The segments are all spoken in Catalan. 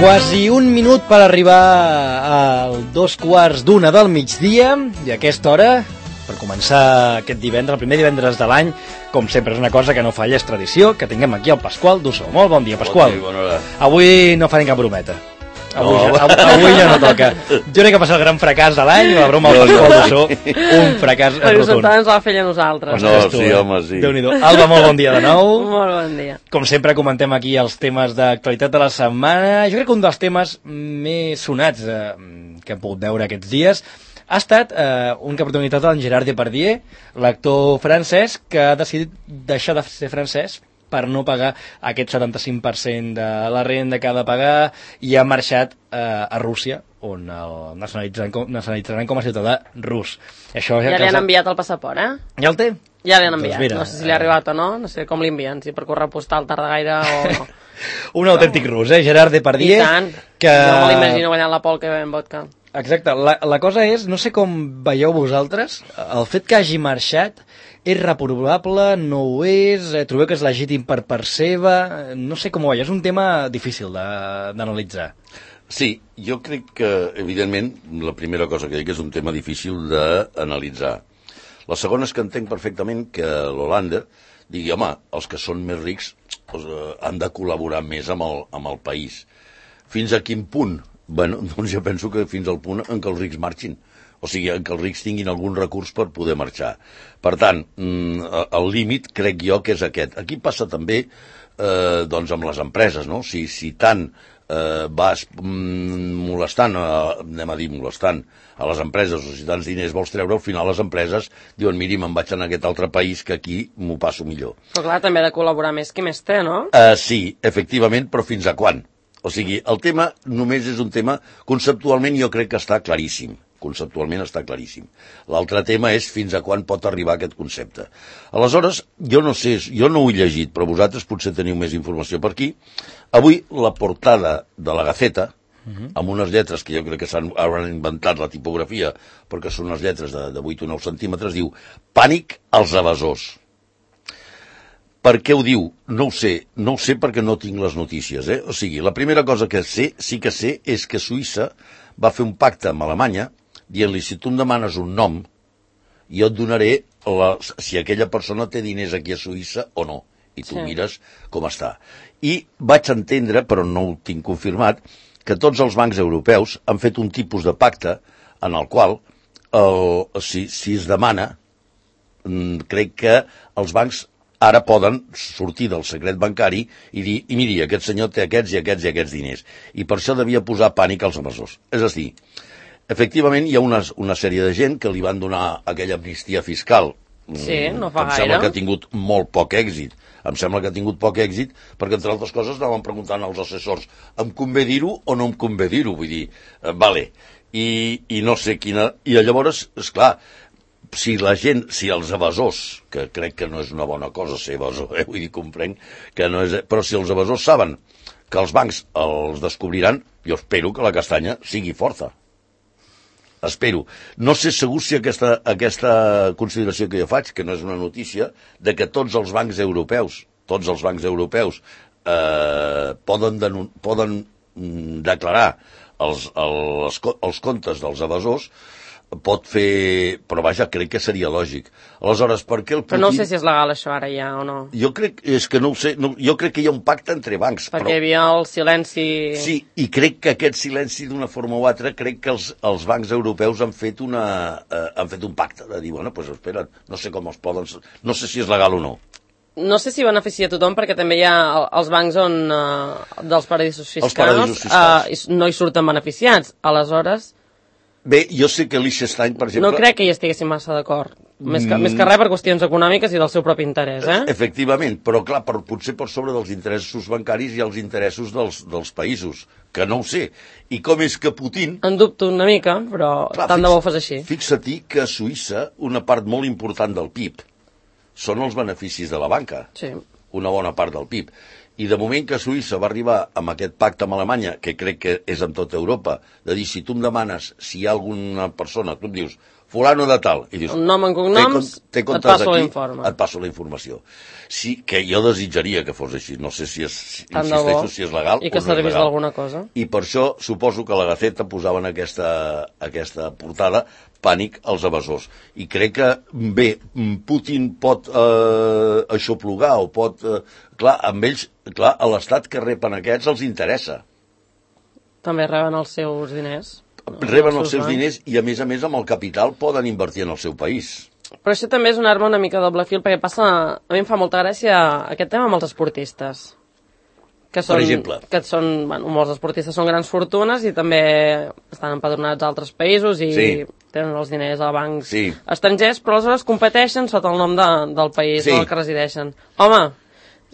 Quasi un minut per arribar al 2:15 del migdia i a aquesta hora, per començar aquest divendres, el primer divendres de l'any, com sempre és una cosa que no falla, és tradició, que tinguem aquí el Pasqual Dussó. Molt bon dia, Pasqual. Bon dia, bona hora. Avui no farem cap brometa. Avui ja no toca. Jo crec que va ser el gran fracàs de l'any, la broma del Pasqual Dussó, un fracàs rotund. rotund. Perquè ens la feia nosaltres. No, sí, home, sí. Déu-n'hi-do. Alba, molt bon dia de nou. Molt bon dia. Com sempre comentem aquí els temes d'actualitat de la setmana. Jo crec que un dels temes més sonats que hem pogut veure aquests dies ha estat un que ha protagonitzat en Gerard Depardieu, l'actor francès, que ha decidit deixar de ser francès per no pagar aquest 75% de la renda que ha de pagar i ha marxat a Rússia, on el nacionalitzaran com a ciutadà rus. Això ja li han enviat el passaport, eh? Ja el té? Ja li han enviat. Doncs mira, no sé si li ha arribat o no sé com li envien, si per correu postal tarda gaire o no. Un autèntic rus, Gerard Depardieu. I tant, que... jo me l'imagino guanyant la pol que ve en vodka. Exacte, la cosa és, no sé com veieu vosaltres, el fet que hagi marxat és reprobable, no ho és, trobeu que és legítim per part seva, no sé com ho veieu, és un tema difícil d'analitzar. Sí, jo crec que, evidentment, la primera cosa que dic és un tema difícil d'analitzar. La segona és que entenc perfectament que l'Holanda digui, home, els que són més rics han de col·laborar més amb el país. Fins a quin punt? Bueno, doncs jo penso que fins al punt en què els rics marxin. O sigui, en què els rics tinguin algun recurs per poder marxar. Per tant, el límit crec jo que és aquest. Aquí passa també doncs amb les empreses, no? Si tant vas molestant, anem a dir molestant, a les empreses, o si tants diners vols treure, al final les empreses diuen, miri, me'n vaig a aquest altre país que aquí m'ho passo millor. Però clar, també ha de col·laborar més qui més té, no? Sí, efectivament, però fins a quan? O sigui, el tema només és un tema, conceptualment jo crec que està claríssim. Conceptualment està claríssim. L'altre tema és fins a quan pot arribar aquest concepte. Aleshores, jo no sé, jo no ho he llegit, però vosaltres potser teniu més informació per aquí. Avui la portada de la Gaceta, amb unes lletres que jo crec que hauran inventat la tipografia, perquè són unes lletres de 8 o 9 centímetres, diu Pànic als evasors. Per què ho diu? No ho sé perquè no tinc les notícies. O sigui, la primera cosa que sí que sé és que Suïssa va fer un pacte amb Alemanya dient-li, si tu em demanes un nom, jo et donaré si aquella persona té diners aquí a Suïssa o no. I tu mires com està. I vaig entendre, però no ho tinc confirmat, que tots els bancs europeus han fet un tipus de pacte en el qual, si es demana, crec que els bancs ara poden sortir del secret bancari i dir, i miri, aquest senyor té aquests i aquests i aquests diners. I per això devia posar pànic als evasors. És a dir, efectivament hi ha una sèrie de gent que li van donar aquella amnistia fiscal. Sí, no fa gaire. Em sembla que ha tingut molt poc èxit. Em sembla que ha tingut poc èxit perquè, entre altres coses, anaven preguntant als assessors, em convé dir-ho o no em convé dir-ho? Vull dir, vale. I no sé quina... I llavors, esclar, si els evasors, que crec que no és una bona cosa ser evasor, vull dir, comprenc que no és... Però si els evasors saben que els bancs els descobriran, jo espero que la castanya sigui forta. Espero. No sé segur si aquesta consideració que jo faig, que no és una notícia, de que tots els bancs europeus poden declarar els comptes dels evasors, pot fer... Però vaja, crec que seria lògic. Aleshores, per què el Putin... Però no sé si és legal això ara ja o no. Jo crec, és que no ho sé, jo crec que hi ha un pacte entre bancs. Perquè hi havia el silenci... Sí, i crec que aquest silenci d'una forma o altra, crec que els bancs europeus han fet un pacte de dir, bueno, doncs espera, no sé com els poden... No sé si és legal o no. No sé si beneficia a tothom, perquè també hi ha els bancs dels paradisos fiscals, no hi surten beneficiats. Aleshores... Bé, jo sé que Liechtenstein, per exemple... No crec que hi estiguessin massa d'acord. Més que res per qüestions econòmiques i del seu propi interès, Efectivament, però clar, potser per sobre dels interessos bancaris i els interessos dels països, que no ho sé. I com és que Putin... En dubto una mica, però tant de bo ho fas així. Fixa-t'hi que a Suïssa una part molt important del PIB són els beneficis de la banca. Sí. Una bona part del PIB. I de moment que Suïssa va arribar amb aquest pacte amb Alemanya, que crec que és amb tota Europa, de dir, si tu em demanes si hi ha alguna persona, tu em dius, fulano de tal. I dius, un nom en cognoms, et passo l'informe. Et passo la informació. Sí, que jo desitjaria que fos així. No sé si és, insisteixo, si és legal i que servís d'alguna cosa. I per això suposo que la Gaceta posava en aquesta portada pànic als evasors. I crec que, bé, Putin pot aixoplugar o pot... clar, amb ells, clar, a l'estat que repen aquests els interessa. També reben els seus diners. Reben els seus diners i, a més, amb el capital poden invertir en el seu país. Però això també és una arma una mica doble fil, perquè passa... A mi em fa molta gràcia aquest tema amb els esportistes. Que són, per exemple. Que són, bueno, molts esportistes són grans fortunes i també estan empadronats a altres països i tenen els diners a bancs estrangers, però aleshores competeixen sota el nom del país en el que resideixen. Home,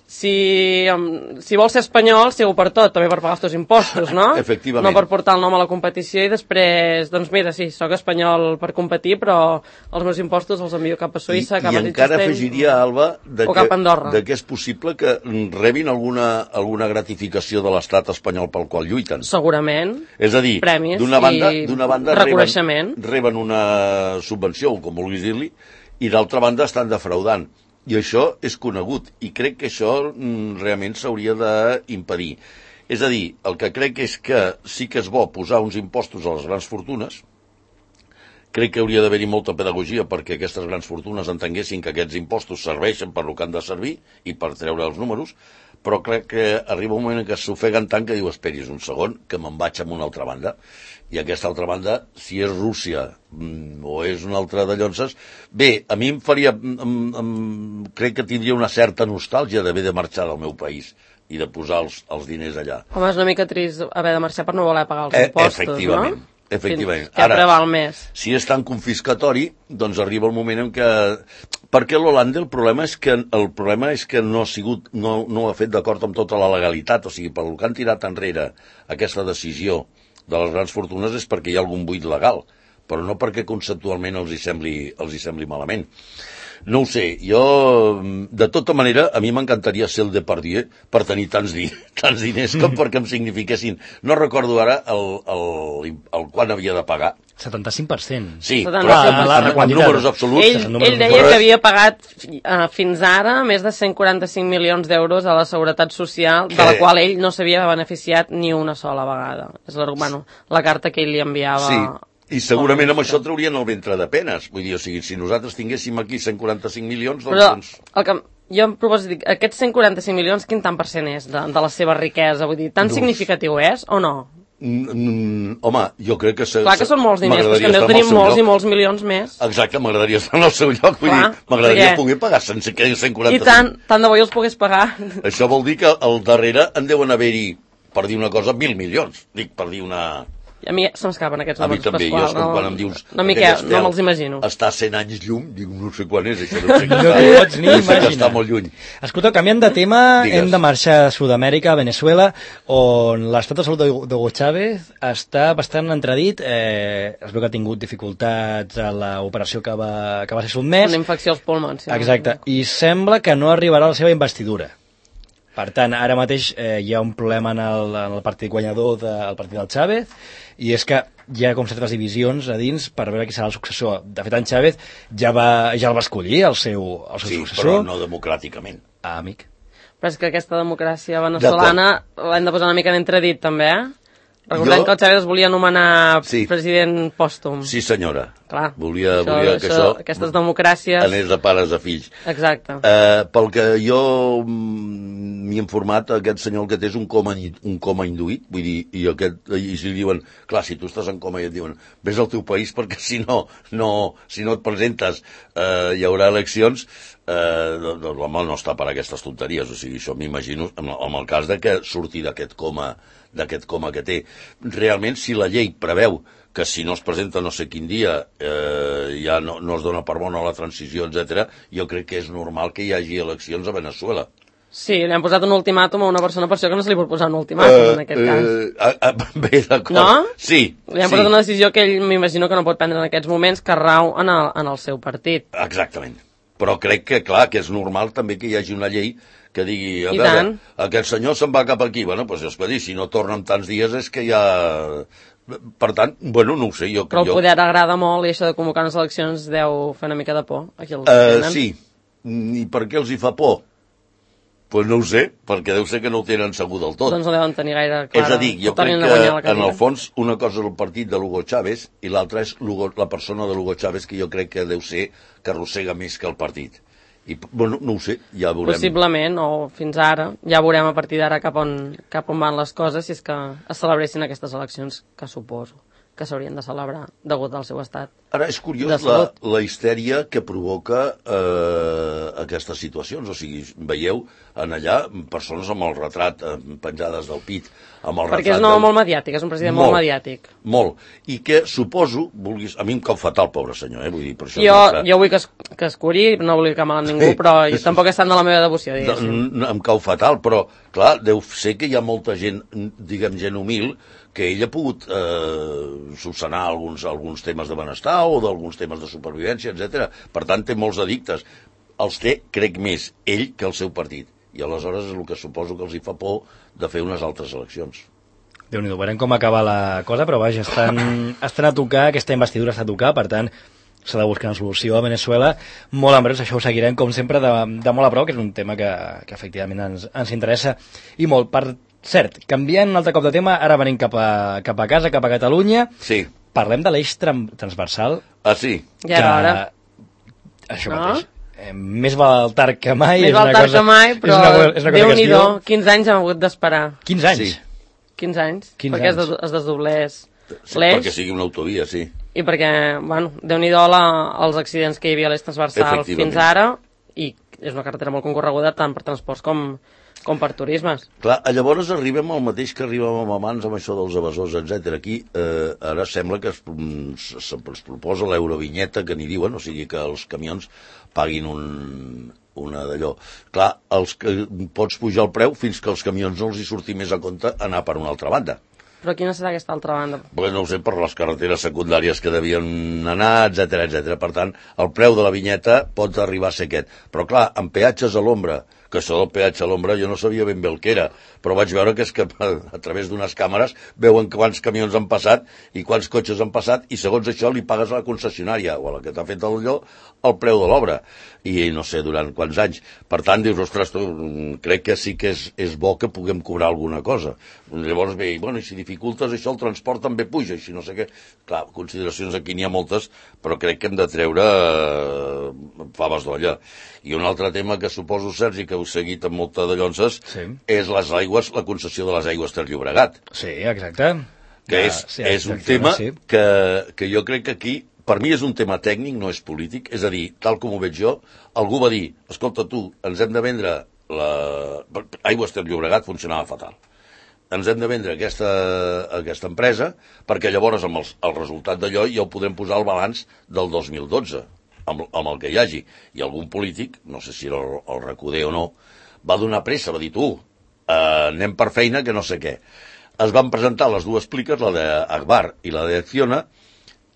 si vols ser espanyol, sigo per tot, també per pagar els teus impostos, no? Efectivament. No per portar el nom a la competició i després, doncs mira, sí, sóc espanyol per competir, però els meus impostos els envio cap a Suïssa, cap a Liechtenstein... I encara afegiria, Alba, cap a Andorra. que és possible que rebin alguna gratificació de l'estat espanyol pel qual lluiten. Segurament. És a dir, premis d'una banda reconeixement. Reben una subvenció, com vulguis dir-li, i d'altra banda estan defraudant. I això és conegut, i crec que això realment s'hauria d'impedir. És a dir, el que crec és que sí que és bo posar uns impostos a les grans fortunes, crec que hauria d'haver-hi molta pedagogia perquè aquestes grans fortunes entenguessin que aquests impostos serveixen per lo que han de servir i per treure els números, però crec que arriba un moment en què s'ofeguen tant que diu, esperis un segon, que me'n vaig a una altra banda. I aquesta altra banda, si és Rússia o és una altra de llonses, bé, a mi em faria... crec que tindria una certa nostàlgia d'haver de marxar del meu país i de posar els diners allà. Home, és una mica trist haver de marxar per no voler pagar els impostos, efectivament, no? Efectivament. Què preval més? Si és tan confiscatori, doncs arriba el moment en què... Perquè l'Holanda el problema és que no ha sigut, no ho ha fet d'acord amb tota la legalitat, o sigui, pel que han tirat enrere aquesta decisió de les grans fortunes és perquè hi ha algun buit legal, però no perquè conceptualment els hi sembli malament. No ho sé, jo, de tota manera, a mi m'encantaria ser el Depardieu per tenir tants diners com perquè em signifiquessin. No recordo ara el quan havia de pagar. 75%. Sí, però en números absoluts. Ell deia que havia pagat fins ara més de 145 milions d'euros a la Seguretat Social, de la qual ell no s'havia beneficiat ni una sola vegada. És la carta que ell li enviava... Sí. I segurament amb això traurien el ventre de penes. Vull dir, o sigui, si nosaltres tinguéssim aquí 145 milions, doncs... Però el que jo em proposo dir, aquests 145 milions, quin tant per cent és de la seva riquesa? Vull dir, tan significatiu és o no? Home, jo crec que... Clar que són molts diners, però és que en deu tenir molts i molts milions més. Exacte, m'agradaria estar en el seu lloc, vull dir, m'agradaria poder pagar 145. I tant de bo jo els pogués pagar. Això vol dir que al darrere en deuen haver-hi, per dir una cosa, 1.000 milions. Dic, per dir una... A mi se m'escapen aquests números, Pasqual. A mi també, jo quan em dius... No me'ls imagino. Està a 100 anys llum, dic, no sé quan és, això no sé que pots ni imaginar. Està molt lluny. Escolta, canviant de tema, hem de marxar a Sud-amèrica, a Venezuela, on l'estat de salut d'Hugo Chávez està bastant entredit. Es veu que ha tingut dificultats a l'operació que va ser sotmès. Una infecció als pulmons. Sí. Exacte, i sembla que no arribarà a la seva investidura. Per tant, ara mateix hi ha un problema en el partit guanyador del partit del Chávez, i és que hi ha com certes divisions a dins per veure qui serà el successor. De fet, en Chávez ja el va escollir, el seu successor. Sí, però no democràticament. Amic. Però és que aquesta democràcia veneçolana l'hem de posar una mica en entredit, també, Recordem que el Chávez es volia nomenar president pòstum. Sí, senyora. Clar. Volia que això... Aquestes democràcies... Anés de pares a fills. Exacte. Pel que jo m'hi he informat, aquest senyor el que té és un coma induït, vull dir, i si li diuen, clar, si tu estàs en coma i et diuen, vés al teu país perquè si no et presentes hi haurà eleccions, doncs l'home no està per aquestes tonteries, o sigui, això m'imagino, en el cas de que surti d'aquest coma que té. Realment, si la llei preveu que si no es presenta no sé quin dia ja no es dona per bona la transició, etc., jo crec que és normal que hi hagi eleccions a Venezuela. Sí, li han posat un ultimàtum a una persona, per això que no se li pot posar un ultimàtum en aquest cas. Bé, d'acord. No? Sí. Li han posat una decisió que ell m'imagino que no pot prendre en aquests moments, que rau en el seu partit. Exactament. Però crec que, clar, que és normal també que hi hagi una llei que digui, a veure, aquest senyor se'n va cap aquí. Bueno, doncs és que dir, si no torna en tants dies és que ja Per tant, bueno, no ho sé. Però el poder agrada molt i això de convocar unes eleccions deu fer una mica de por. Aquí els tenen. Sí. I per què els hi fa por? Pues no ho sé, perquè deu ser que no ho tenen segur del tot. Doncs no deuen tenir gaire clara. És a dir, jo crec que en el fons una cosa és el partit de l'Hugo Chávez i l'altra és la persona de l'Hugo Chávez, que jo crec que deu ser que arrossega més que el partit. I, bueno, no ho sé, ja veurem. Possiblement, o fins ara, ja veurem a partir d'ara cap on van les coses, si és que es celebressin aquestes eleccions, que suposo que s'haurien de celebrar degut al seu estat. Ara és curiós la histèria que provoca aquestes situacions. O sigui, veieu en allà persones amb el retrat penjades del pit. Perquè és un home molt mediàtic, és un president molt mediàtic. Molt. I que suposo, a mi em cau fatal, pobre senyor, vull dir, per això... Jo vull que es curi, no vull que mal amb ningú, però tampoc és tant de la meva devoció, diguéssim. Em cau fatal, però, clar, deu ser que hi ha molta gent, diguem, gent humil, que ell ha pogut solucionar alguns temes de benestar o d'alguns temes de supervivència, etc. Per tant, té molts addictes. Els té, crec, més ell que el seu partit. I aleshores és el que suposo que els hi fa por de fer unes altres eleccions. Déu-n'hi-do, veurem com acaba la cosa, però vaja, estan a tocar, aquesta investidura està a tocar, per tant, s'ha de buscar una solució a Venezuela. Molt en breu, això ho seguirem, com sempre, de molt a prop, que és un tema que efectivament ens interessa. I molt, per cert, canviant un altre cop de tema, ara venim cap a casa, cap a Catalunya. Sí. Parlem de l'eix transversal. Ah, sí? Ja era hora. Això mateix. Més val tard que mai. Més val tard que mai, però Déu-n'hi-do, 15 anys hem hagut d'esperar. 15 anys? Sí. 15 anys, perquè es desdoblés l'eix. Perquè sigui una autovia, sí. I perquè, bueno, Déu-n'hi-do els accidents que hi havia a l'eix transversal fins ara, i és una carretera molt concorreguda tant per transports com per turismes. Clar, llavors arribem al mateix que arribàvem abans amb això dels evasors, etc. Aquí ara sembla que es proposa l'eurovinyeta, que n'hi diuen, o sigui que els camions paguin una d'allò. Clar, pots pujar el preu fins que els camions no els hi surti més a compte anar per una altra banda. Però quina serà aquesta altra banda? Pues no ho sé, per les carreteres secundàries que devien anar, etc. Per tant, el preu de la vinyeta pot arribar a ser aquest. Però clar, amb peatges a l'ombra, que això del peatge a l'ombra jo no sabia ben bé el que era, però vaig veure que és que a través d'unes càmeres veuen quants camions han passat i quants cotxes han passat, i segons això li pagues a la concessionària o a la que t'ha fet el preu de l'obra, i no sé durant quants anys. Per tant, dius, ostres, crec que sí que és bo que puguem cobrar alguna cosa. Llavors ve, bueno, i si dificultes això, el transport també puja, i si no sé què. Clar, consideracions aquí n'hi ha moltes, però crec que hem de treure faves d'olla. I un altre tema que suposo, Sergi, que heu seguit amb molta de llonces, és les aigües, la concessió de les aigües Ter Llobregat. Sí, exacte. Que és un tema que jo crec que aquí, per mi és un tema tècnic, no és polític, és a dir, tal com ho veig jo, algú va dir, escolta tu, ens hem de vendre Aigües Ter Llobregat funcionava fatal. Ens hem de vendre aquesta empresa perquè llavors amb el resultat d'allò ja ho podrem posar al balanç del 2012, amb el que hi hagi. I algun polític, no sé si era el Recoder o no, va donar pressa, va dir, tu, anem per feina que no sé què. Es van presentar les dues pliques, la d'Agbar i la d'Acciona,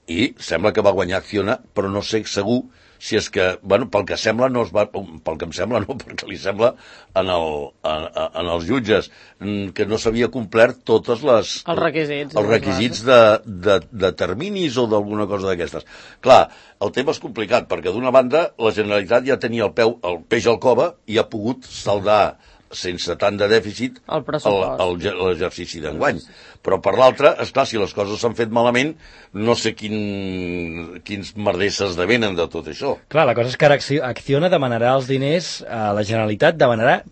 i sembla que va guanyar Acciona, però no sé segur si és que, bueno, pel que sembla no es va, pel que em sembla no, perquè li sembla en els jutges que no s'havia complert totes els requisits de terminis o d'alguna cosa d'aquestes. Clar, el tema és complicat, perquè d'una banda la Generalitat ja tenia el peix al cova i ha pogut saldar sense tant de dèficit l'exercici d'enguany. Però per l'altra, esclar, si les coses s'han fet malament, no sé quins merders s'esdevenen de tot això. Clar, la cosa és que ara Acciona demanarà els diners a la Generalitat, demanarà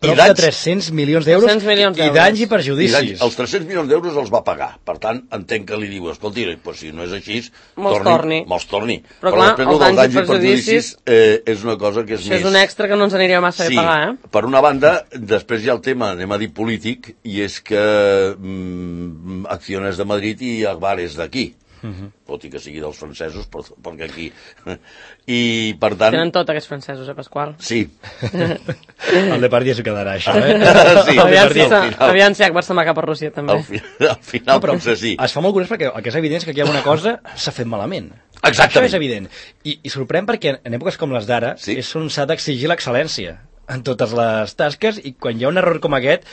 prop de 300 milions d'euros i danys i perjudicis. Els 300 milions d'euros els va pagar. Per tant, entenc que li diu, escolti, pues, si no és així, me'ls torni. Però clar, els danys i perjudicis és una cosa que és més... Això és un extra que no ens aniria massa bé pagar, eh? Per una banda, després hi ha el tema, anem a dir polític, i és que Acciona és de Madrid i Agbar és d'aquí. Tot i que sigui dels francesos, perquè aquí... I, per tant... Tenen tot aquests francesos, Pasqual? Sí. El Depardieu s'ho quedarà, això, Sí, aviam si Agbar se'n va cap a Rússia, també. Al final, però sí. Es fa molt curiós perquè el que és evident és que aquí hi ha una cosa s'ha fet malament. Exactament. Això és evident. I sorprèn perquè en èpoques com les d'ara és on s'ha d'exigir l'excel·lència en totes les tasques, i quan hi ha un error com aquest,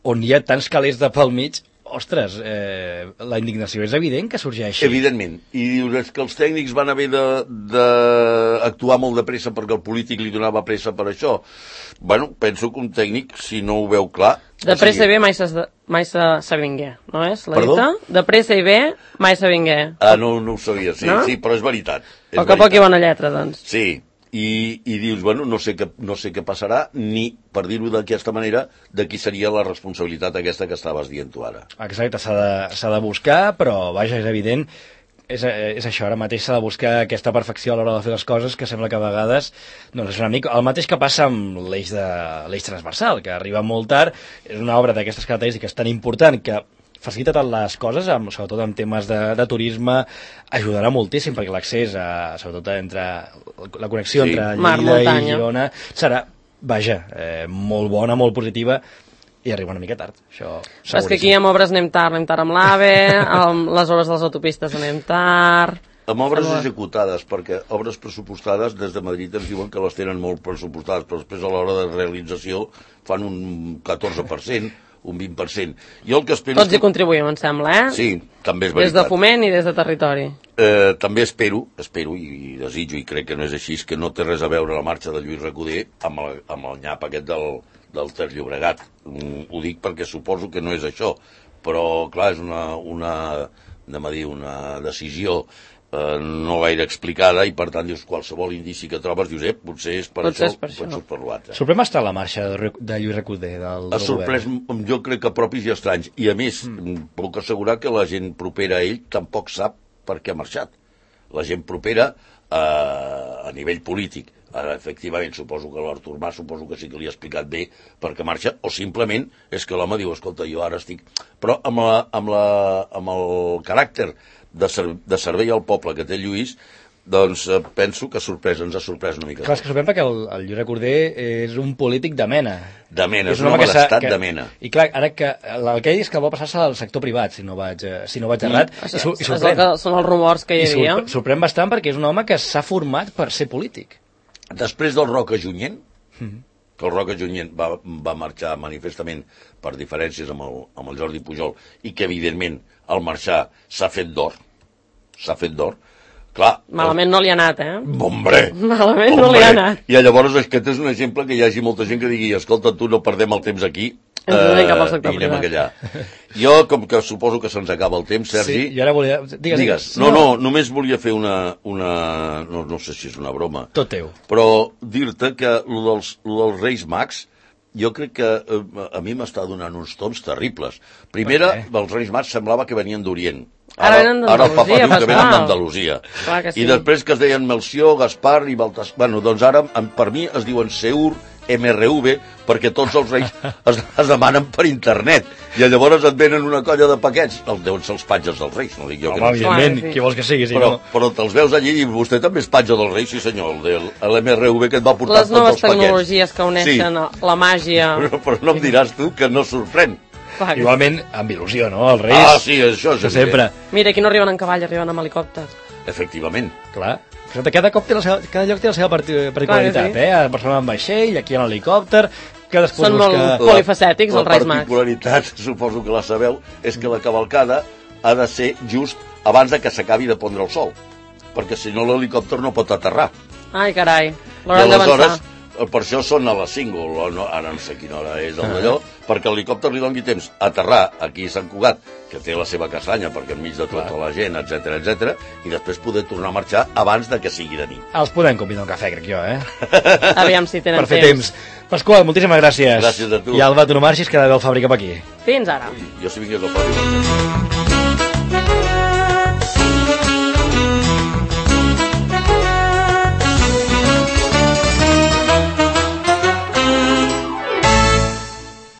on hi ha tants calés de pel mig, ostres, la indignació és evident que sorgeixi. Evidentment. I dius, és que els tècnics van haver d'actuar molt de pressa perquè el polític li donava pressa per això. Bueno, penso que un tècnic, si no ho veu clar... De pressa i bé mai se vingué, no és? Perdó? De pressa i bé mai se vingué. Ah, no ho sabia, sí, no? Sí, però és veritat. Poc a poc i bona lletra, doncs. Sí, i dius, bueno, no sé què passarà, ni, per dir-ho d'aquesta manera, de qui seria la responsabilitat aquesta que estaves dient tu ara. Exacte, s'ha de buscar, però, vaja, és evident, és això, ara mateix s'ha de buscar aquesta perfecció a l'hora de fer les coses, que sembla que a vegades doncs és una mica el mateix que passa amb l'eix transversal, que arriba molt tard, és una obra d'aquestes característiques tan important que facilita tant les coses, sobretot en temes de turisme, ajudarà moltíssim, perquè l'accés, sobretot entre la connexió entre Lleida i Girona, serà, vaja, molt bona, molt positiva, i arriba una mica tard, això seguríssim. És que aquí amb obres anem tard amb l'AVE, amb les obres de les autopistes anem tard... Amb obres executades, perquè obres pressupostades des de Madrid ens diuen que les tenen molt pressupostades, però després a l'hora de realització fan un 14%, un 20%. Jo el que espero... Tots hi contribuïm, em sembla, eh? Sí, també és veritat. Des de foment i des de territori. També espero i desitjo, i crec que no és així, que no té res a veure la marxa de Lluís Recoder amb el nyap aquest del Ter Llobregat. Ho dic perquè suposo que no és això, però clar, és una decisió no gaire explicada, i per tant dius, qualsevol indici que trobes, dius, potser és per això, potser és per l'altre. Sorprèn bastant la marxa de Lluís Recoder del govern. Ha sorprès, jo crec que propis i estranys, i a més, puc assegurar que la gent propera a ell tampoc sap per què ha marxat. La gent propera a nivell polític, efectivament, suposo que l'Artur Mas que sí que li ha explicat bé per què marxa, o simplement és que l'home diu, escolta, jo ara estic... Però amb el caràcter de servei al poble que té Lluís, doncs penso que ens ha sorprès una mica. Clar, és que sorprèn perquè el Lluís Recoder és un polític de mena. De mena, és un home d'estat de mena. I clar, ara que el que ell és que vol passar-se al sector privat, si no vaig errat, i sorprèn. Són els rumors que hi havia. Sorprèn bastant perquè és un home que s'ha format per ser polític. Després del Roca Junyent, que el Roca Junyent va marxar manifestament per diferències amb el Jordi Pujol, i que evidentment al marxar s'ha fet d'or, clar... Malament no li ha anat, Hombre! Malament no li ha anat. I llavors aquest és un exemple que hi hagi molta gent que digui, escolta, tu no perdem el temps aquí, i anem allà. Jo, com que suposo que se'ns acaba el temps, Sergi... Sí, jo ara volia... Digues. No, només volia fer una... No sé si és una broma. Tot teu. Però dir-te que el dels Reis Mags, jo crec que a mi m'està donant uns tons terribles. Primera, els Reis Mags semblava que venien d'Orient. Ara el Papa diu que venen d'Andalusia. Sí. I després que es deien Melcior, Gaspar i Baltasar... Bueno, doncs ara, per mi, es diuen Seur, MRV, perquè tots els reis es demanen per internet. I llavors et venen una colla de paquets. Deuen ser els patges dels reis, no dic jo que no. Evidentment, qui vols que sigui, però te'ls veus allí i vostè també és patge dels reis, sí senyor, l'MRV que et va portar tots els paquets. Les noves tecnologies que uneixen la màgia... Però no em diràs tu que no sorprèn. Igualment, amb il·lusió, no? Els reis... Ah, sí, això és sempre. Mira, aquí no arriben en cavall, arriben amb helicòpter. Efectivament. Clar. Cada lloc té la seva particularitat, A Barcelona amb vaixell, aquí en helicòpter... Són molt polifacètics, els Reis Mags. La particularitat, suposo que la sabeu, és que la cavalcada ha de ser just abans que s'acabi de pondre el sol, perquè si no l'helicòpter no pot aterrar. Ai, carai, l'hauran d'avançar. Per això són a les 5, ara no sé quina hora és d'allò, perquè l'helicòpter li doni temps a aterrar aquí a Sant Cugat, que té la seva castanya, perquè enmig de tota la gent, etc, i després poder tornar a marxar abans de que sigui de nit. Els podem convidar un cafè, crec jo, Aviam si tenen per fer temps. Pasqual, moltíssimes gràcies. Gràcies a tu. I Alba, tu no marxis, que ha d'haver el Fàbrica per aquí. Fins ara. Jo si vingués al Fàbrica.